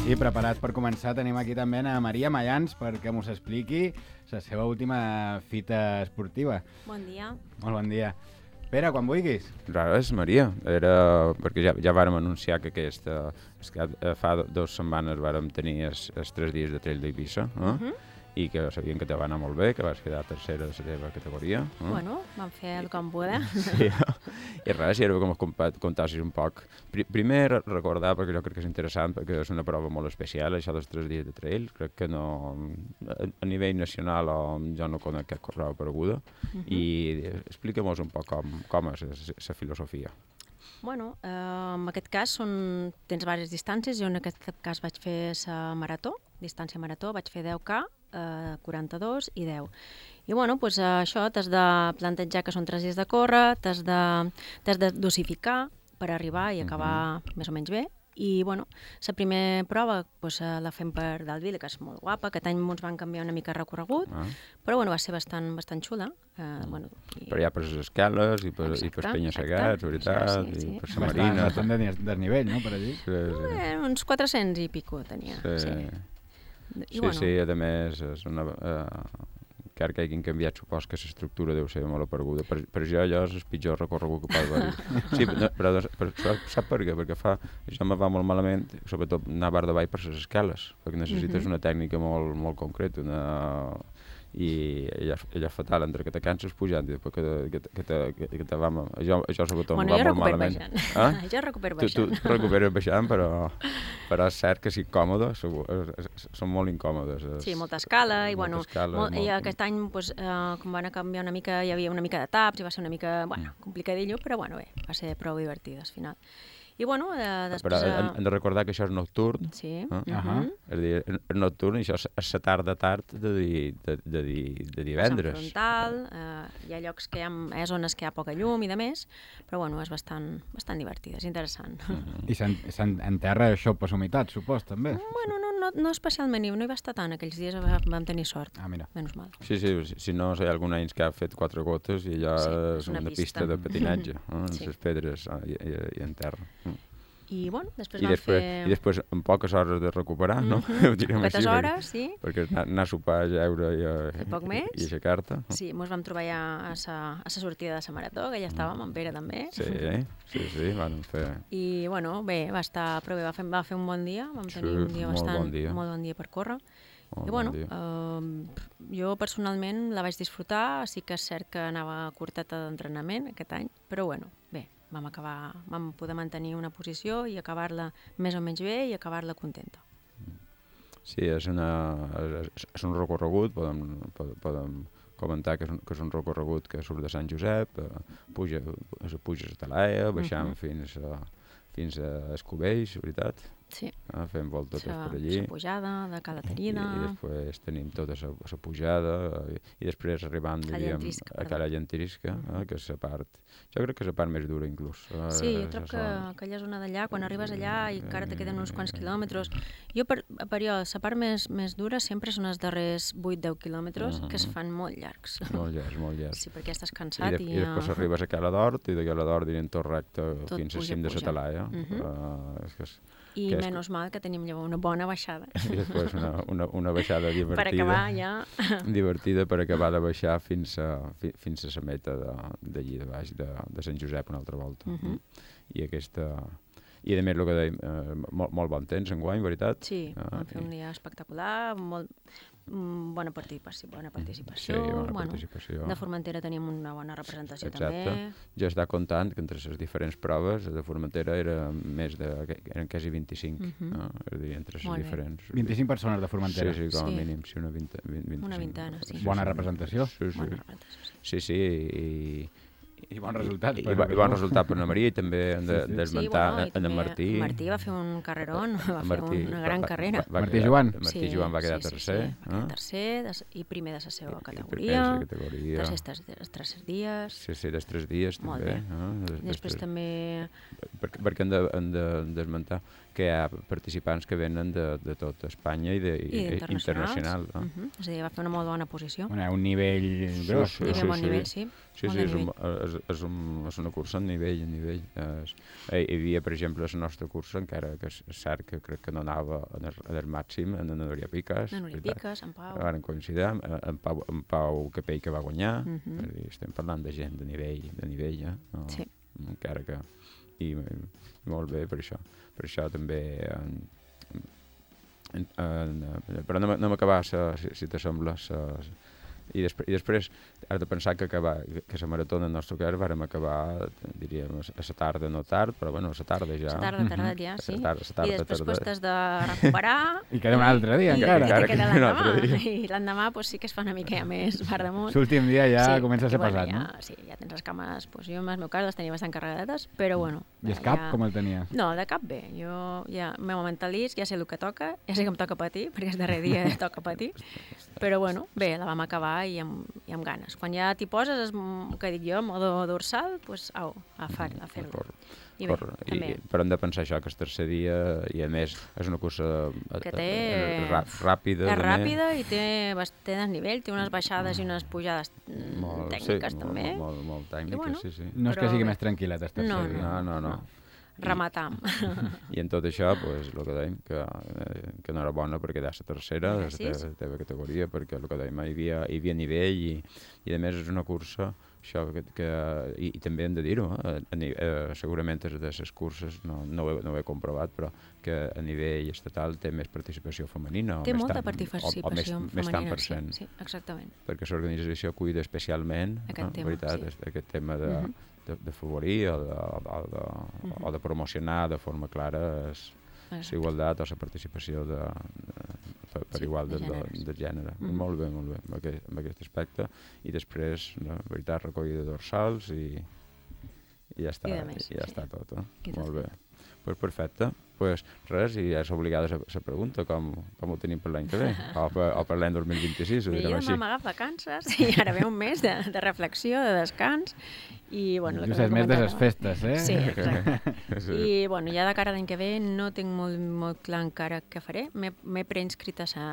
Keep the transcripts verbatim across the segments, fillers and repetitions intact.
I preparats per començar, tenim aquí també a Maria Mayans perquè mos expliqui la seva última fita esportiva. Bon dia. Molt bon dia. Pere, quan vulguis. Res, Maria, era perquè ja, ja vàrem anunciar que aquesta, que fa dues setmanes vàrem tenir els, els tres dies de trail d'Eivissa, eh? Uh-huh. I que sabien que te va anar molt bé, que vas quedar tercera de la teva categoria. Eh? Bueno, vam fer el com poder. Sí, i res, i era com contassis un poc. Primer, recordar, perquè jo crec que és interessant, perquè és una prova molt especial, això dels tres dies de trail. Crec que no, a nivell nacional jo no conec cap prova apareguda. Uh-huh. I explica-mos un poc com, com és la filosofia. Bueno, eh, en aquest cas són, tens diverses distàncies. Jo en aquest cas vaig fer la marató, distància marató, vaig fer deu K, eh, quaranta-dos i deu. I bueno, doncs, eh, això t'has de plantejar que són tres dies de córrer, t'has de, t'has de dosificar per arribar i acabar uh-huh. més o menys bé. I bueno, la primera prova doncs, la fem per Dalvila, que és molt guapa. Aquest any ens van canviar una mica el recorregut, ah. però bueno, va ser bastant, bastant xula. Uh, bueno, i... Però hi ha per les escales i per, exacte, i per Penya-segats, veritat, sí, sí, sí. I per la Marina. Bastant de desnivell, no?, per allí. Sí, sí. Eh, uns quatre-cents i pico tenia. Sí, sí, I, sí, bueno. sí, a més, és una... Uh, encara que hagin canviat, supos que l'estructura deu ser molt apareguda. Per, per jo, allò és el pitjor recorregut que pot haver-hi. Sí, no, però per, sap per què? Perquè fa, això me va molt malament, sobretot anar bar davall per les escales, perquè necessites uh-huh. una tècnica molt, molt concreta, una... i allò, allò fatal, entre que te canses pujant i després que te, que te, que te, que te va... Això, això sobretot bueno, va molt malament. Ah? Jo recupero baixant. Tu, tu recuperes baixant, però, però és cert que sí, còmode, són molt incòmodes. Sí, molta escala, i bueno, escala, molt, molt... i aquest any, pues, eh, com van canviar una mica, hi havia una mica de taps, i va ser una mica, bueno, complicadillo, però bueno, bé, va ser prou divertit al final. I bueno, eh, després... Però hem, hem de recordar que això és nocturn. Sí. Eh? Uh -huh. És a dir, és nocturn i això és la tarda tard de, de, de, de, de divendres. És en frontal, eh, hi ha llocs que hi ha, hi ha zones que hi ha poca llum i de més, però bueno, és bastant, bastant divertida, és interessant. Uh -huh. I s'enterra això per humitat, supos, també? Bueno, no, no, no especialment, no hi va estar tant, aquells dies vam tenir sort. Ah, mira. Menys mal. Sí, sí, si no, hi ha algun any que ha fet quatre gotes i allò sí, és una, una pista. pista de patinatge, eh? Sí. Les pedres i, i, i en terra. I, bueno, després I vam després, fer... I després, en poques hores de recuperar, no? Mm-hmm. Poques hores, sí. Perquè anar, anar a sopar, a jeure i, a, poc més. i aixecar-te. Sí, ens vam trobar ja a la sortida de la marató, que ja estàvem, en Pere també. Sí, sí, sí, vam fer... I, bueno, bé, va estar prou bé, va fer, va fer un bon dia, vam tenir sí, un dia molt bastant... Bon dia. Molt bon dia per córrer. Molt I, bueno, bon eh, jo personalment la vaig disfrutar, sí que és cert que anava curteta d'entrenament aquest any, però, bueno, bé. Vam, acabar, vam poder mantenir una posició i acabar-la més o menys bé i acabar-la contenta. Sí, és, una, és, és un recorregut, podem, podem comentar que és, un, que és un recorregut que surt de Sant Josep, eh, puja, puja a Talaia, baixant uh-huh. fins a, fins a Escubells, veritat? Sí. Ah, fem voltes per allí. La pujada de Cala Terina. I, i després tenim tota la pujada i, i després arribant diríem, a Cala Llentisca, eh, que és la part... Jo crec que és la part més dura, inclús. Sí, jo trobo que aquella zona d'allà, quan arribes allà i encara te queden uns quants quilòmetres... Jo, per, per jo, la part més, més dura sempre són els darrers vuit deu quilòmetres, uh-huh. que es fan molt llargs. Molt llargs, molt llargs. Sí, perquè estàs cansat I... De, i... I després arribes a Cala d'Hort i de Cala d'Hort direm tot recte tot fins al cim de la Talaia. Uh-huh. Uh, és que és, I que és... menys mal que tenim llavors una bona baixada. I després una, una, una baixada divertida. Per acabar ja... divertida per acabar de baixar fins a, fi, fins a la meta d'allí de, de baix, de, de Sant Josep una altra volta. Uh-huh. I aquesta... I a més el que dèiem, eh, molt, molt bon temps enguany, veritat? Sí, ah, vam fer un dia espectacular, molt... Bona participació, bona participació. Sí, bona bueno, participació. De Formentera teníem una bona representació. Exacte. També. Jo estava comptant que entre les diferents proves de Formentera era més de, eren quasi vint-i-cinc, uh-huh. no? És a dir, entre les diferents. vint-i-cinc persones de Formentera. Sí, sí, com a sí. mínim, sí, una vint, vint, vint-i-cinc. Una vintena, sí. Bona representació. Sí, sí. Bona representació, sí. Sí, sí, i... I bon resultat. I, i, i bon resultat per la Maria i també hem de, sí, sí. d'esmentar sí, bueno, en el Martí. Martí va fer un carrerón, va Martí, fer una gran va, carrera. Va, va, Martí Joan. Martí sí, Joan va quedar sí, tercer. Sí, sí. Va quedar eh? tercer de, i primer de la seva categoria. I categoria. Tercers dels tres dies. Sí, sí, dels tres dies molt també. Bé. Eh? Des, després després, també... Perquè, perquè hem de, hem de desmentar que hi ha participants que venen de, de tot Espanya i, de, I internacional. No? Uh-huh. És a dir, va fer una molt bona posició. Bueno, un nivell gros. Sí, sí, sí, sí, bon sí. nivell, sí. Sí, sí, és, un, és, és, un, és una cursa en nivell, en nivell. És, hi havia, per exemple, la nostra cursa, encara que és cert que crec que no anava en el, en el màxim, en la Núria Piques. En Núria Piques, en Pau. Varen coincidir, en Pau, en Pau Capell, que va guanyar. Uh-huh. Dir, estem parlant de gent de nivell, de nivell, eh? No, sí. Encara que... I, i molt bé per això. Per això també... En, en, en, però no, no m'acabar, si, si t'assembla, i, després, i després has de pensar que acabar, que la maratona en el nostre cas vàrem acabar, diríem, a la tarda no tard, però bueno, a la tarda ja. A la tarda, tarda ja, sí. Tarda, tarda, I després tarda. pues, t'has de recuperar. I queda un altre dia, i, encara. I te queda un altre l'endemà. dia. I l'endemà pues, sí que es fa una mica més per damunt. L'últim dia ja sí, comença a ser bueno, pesat, ja, no? Sí, ja tens les cames, pues, jo en el meu cas les tenia bastant carregadetes, però bueno. I el cap, ja... com el tenia? No, el de cap bé. Jo ja el meu mentalisc, ja sé el que toca, ja sé que em toca patir, perquè el darrer dia toca patir, però bueno, bé, la vam acabar i amb, i amb ganes. Quan ja t'hi poses, es, que dic jo, modo dorsal, doncs au, a fer-ho. A fer I bé, Cor, també. I, però hem de pensar això, que el tercer dia, i a més, és una cursa que té... ràpida. És ràpida i té, té desnivell, té unes baixades i unes pujades molt, tècniques, sí, també. Molt, molt, molt tècniques, bueno, sí, sí. No és que sigui bé. més tranquil·let, el tercer no, dia. No, no, no. no. Rematam. I en tot això, pues, el que dèiem, que, eh, que no era bona per quedar la tercera de la teva, teva categoria, perquè el que dèiem, hi havia, hi havia nivell i, i a més és una cursa, això que, que i, i també hem de dir-ho, eh, eh, segurament és de les curses, no, no, ho he, no ho he comprovat, però que a nivell estatal té més participació femenina. Té o molta tant, participació o, o més, femenina, més tant per cent. sí, sí, exactament. Perquè l'organització cuida especialment aquest no, tema, veritat, sí. aquest tema de... Uh -huh. De, de favorir o de, o, de, uh-huh. o de promocionar de forma clara la igualtat o la participació de, de, per, per sí, igual de, de, de, de gènere. Uh-huh. Molt bé, molt bé, amb aquest, amb aquest aspecte. I després, no, veritat, recollida de dorsals i, i ja està, I més, i ja sí. està tot. Eh? Molt bé. Pues perfecte. Pues res, i és obligada la pregunta, com, com ho tenim per l'any que ve? O per, o per l'any dos mil vint-i-sis, ho direm així. Jo m'hem agafat vacances i ara ve un mes de, de reflexió, de descans, i bueno... Just és més de les festes, eh? Sí, exacte. Sí. I bueno, ja de cara a l'any que ve no tinc molt, molt clar encara què faré. M'he preinscrit a sa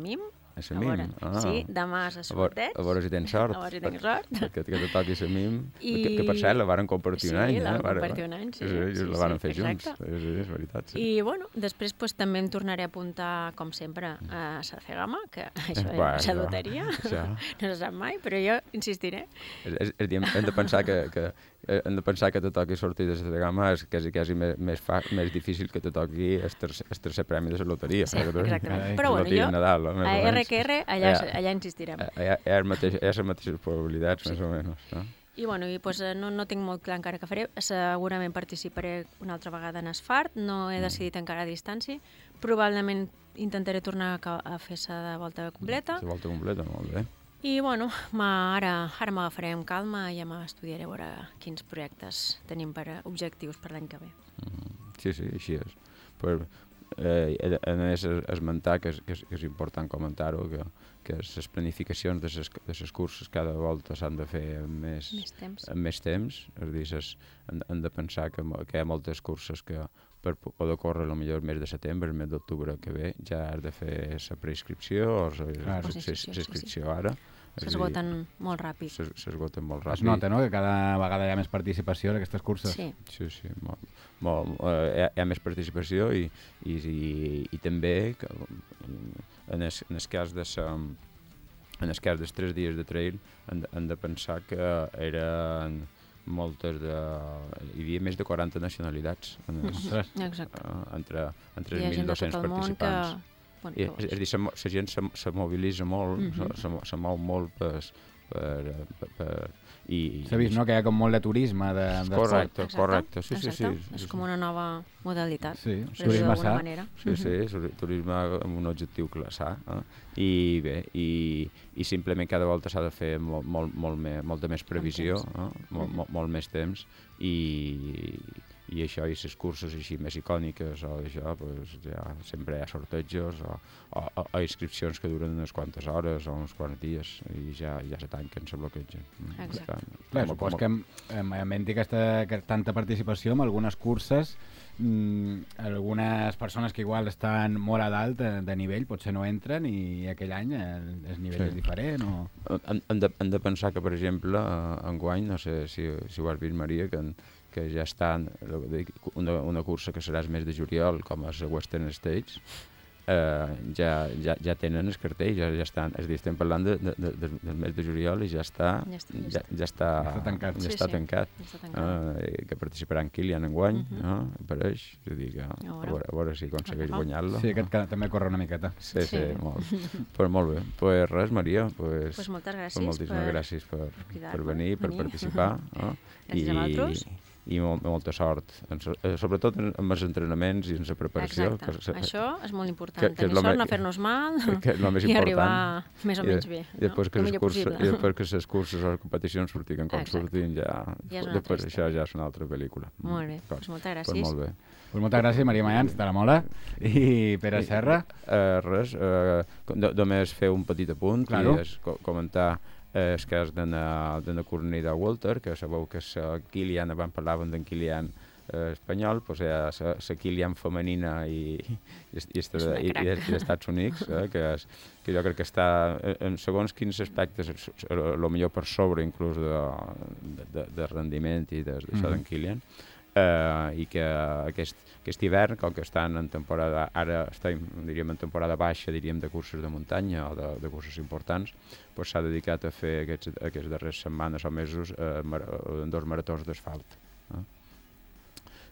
M I M. A la M I M? Ah. Sí, demà és a sorteig. A veure si tens sort. A veure si tens sort. Que, que te toqui la M I M. I... Que, que per cert la varen compartir sí, un any. Sí, la eh? van compartir un any, sí. Sí, sí, sí la van sí, fer junts. Exacte. Sí, sí, és veritat. Sí. I bueno, després pues, també em tornaré a apuntar, com sempre, a la Cegama, que això bueno, és la loteria. Això. No se sap mai, però jo insistiré. És, és, és, hem de pensar que, que hem de pensar que te toqui sortir de la Cegama és quasi, quasi més, més, fa, més difícil que te toqui el tercer, el tercer premi de la loteria. Sí, exactament. Però bueno, jo Nadal, a R que R allà, allà insistirem. Hi ha, hi ha, mateix, hi ha les mateixes probabilitats, sí. més o menys. No? I bueno, i, pues, no, no tinc molt clar encara què faré. Segurament participaré una altra vegada en Asfart, no he decidit encara a distància. Probablement intentaré tornar a, a fer-se de volta completa. De volta completa, molt bé. I bueno, ara, ara m'agafaré amb calma i ja m'estudiaré a veure quins projectes tenim per objectius per l'any que ve. Mm, sí, sí, així és. Per, eh, a més, esmentar que és, que és, que és important comentar-ho, que, que les planificacions de les, de les curses cada volta s'han de fer amb més, més temps. Amb més temps. És a dir, ses, hem, hem de pensar que, que hi ha moltes curses que per poder córrer potser el mes de setembre, el mes d'octubre que ve, ja has de fer la preinscripció o la inscripció ara. S'esgoten molt ràpid. S'esgoten molt ràpid. Es nota, no?, que cada vegada hi ha més participació en aquestes curses. Sí. Sí, sí, molt, molt, eh, hi, ha, hi ha més participació i, i, i, i també que, en, el, en el cas de sa, en el cas dels tres dies de trail hem de, hem de pensar que eren moltes de... hi havia més de quaranta nacionalitats en els, Exacte. Uh, entre, entre els mil dos-cents participants. Que... Bueno, I, és, és a dir, la gent se, se mobilitza molt, mm-hmm. se, se, se mou molt per... per, per, per i, S'ha vist, no?, que hi ha com molt de turisme de, de correcte, Exacte. correcte, sí, sí, sí, sí. És com una nova modalitat. Sí, turisme sa. Sí, sí, turisme amb un objectiu clar, sa. Eh? I bé, i, i simplement cada volta s'ha de fer molt, molt, molt més, molta més previsió, eh? molt, molt, molt més temps, i, i això, i les curses així més icòniques o això, pues, ja sempre hi ha sortejos o, o, o, o inscripcions que duren unes quantes hores o uns quants dies i ja, ja se tanquen, se bloquegen. Exacte. Clar, supos que amb, amb, amb aquesta, que tanta participació en algunes curses, mmm, algunes persones que igual estan molt a dalt de, de nivell potser no entren i aquell any el, el nivell sí. és diferent o... Hem, hem, de, hem de pensar que, per exemple, enguany, no sé si, si ho has vist, Maria, que, que ja estan una, una cursa que serà el mes de juliol, com és la Western States, eh, ja, ja, ja tenen el cartell, ja, ja estan, és a dir, estem parlant de, de, de, del mes de juliol i ja està, ja està, ja, ja està, ja està tancat. Ja sí, està sí. tancat. Ja està tancat. Eh, que participarà en Kilian enguany, uh -huh. no? Apareix, és a dir, que, a, veure, a veure si aconsegueix guanyar-lo. Sí, aquest també corre una miqueta. Sí, sí, sí. molt. Pues molt bé. Pues res, Maria, pues, pues moltes gràcies pues moltíssimes per, gràcies per, per, per venir, per venir. participar. No? Gràcies I, a vosaltres. i molt, molta sort, sobretot amb els entrenaments i en la preparació. Exacte, que, això és molt important, que, que tenir sort, no fer-nos mal que és el més i important. arribar més o menys I, bé, i després, no? que les curses, possible. I després que les curses o les competicions surtin com Exacte. surtin, ja, ja després això ja és una altra pel·lícula. Molt bé, doncs moltes gràcies. Pues molt bé. Pues moltes gràcies, Maria Mayans, de la Mola, i Pere Serra. Uh, res, uh, només fer un petit apunt, claro. i és co comentar eh, el cas d'Anna Cornida Walter, que sabeu que la Kilian, abans parlàvem d'en Kilian eh, espanyol, doncs hi ha la Kilian femenina i, i, i, i, i dels Estats Units, eh, que, és, que jo crec que està, en segons quins aspectes, el millor per sobre inclús de, de, de rendiment i d'això mm. d'en Kilian, Uh, i que aquest, aquest hivern, com que estan en temporada, ara estem, diríem, en temporada baixa, diríem, de curses de muntanya o de, de curses importants, doncs s'ha dedicat a fer aquests, aquests darrers setmanes o mesos uh, mar, uh, dos maratons d'asfalt. Uh.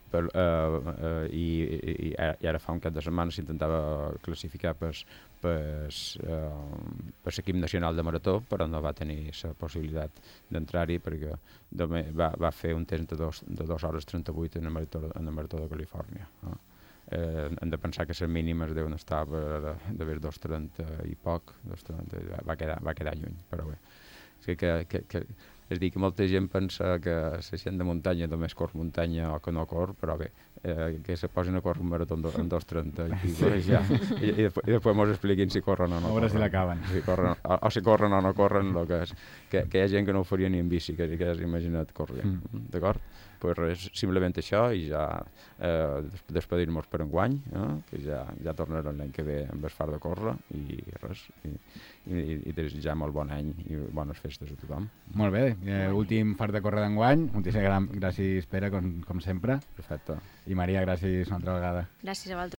Per, uh, uh, i, i, i ara fa un cap de setmana s'intentava classificar per, per, uh, per l'equip nacional de marató, però no va tenir la possibilitat d'entrar-hi perquè va, va fer un temps de dos, de dos hores trenta-vuit en el marató, en el marató de Califòrnia. Uh. Eh, hem de pensar que les mínimes deuen estar d'haver dos trenta i poc, dos trenta, va, quedar, va quedar lluny, però bé. És que, que, que, que és dir, que molta gent pensa que la gent de muntanya només cor muntanya o que no cor, però bé, eh, que se posin a córrer un marató en dos trenta i, sí, ja, i, i, després, i després mos expliquin si corren o no. A veure si l'acaben. Si corren, o, o si corren o no corren, lo que, és, que, que hi ha gent que no ho faria ni en bici, que, que has imaginat corrent, mm. d'acord? Pues res, simplement això i ja eh, despedir-nos per enguany, eh, que ja, ja tornarem l'any que ve amb el far de córrer i res, i, i, i desitjar molt bon any i bones festes a tothom. Molt bé, eh, últim far de córrer d'enguany, moltíssimes gràcies Pere, com, com sempre. Perfecte. I Maria, gràcies una altra vegada. Gràcies a vosaltres.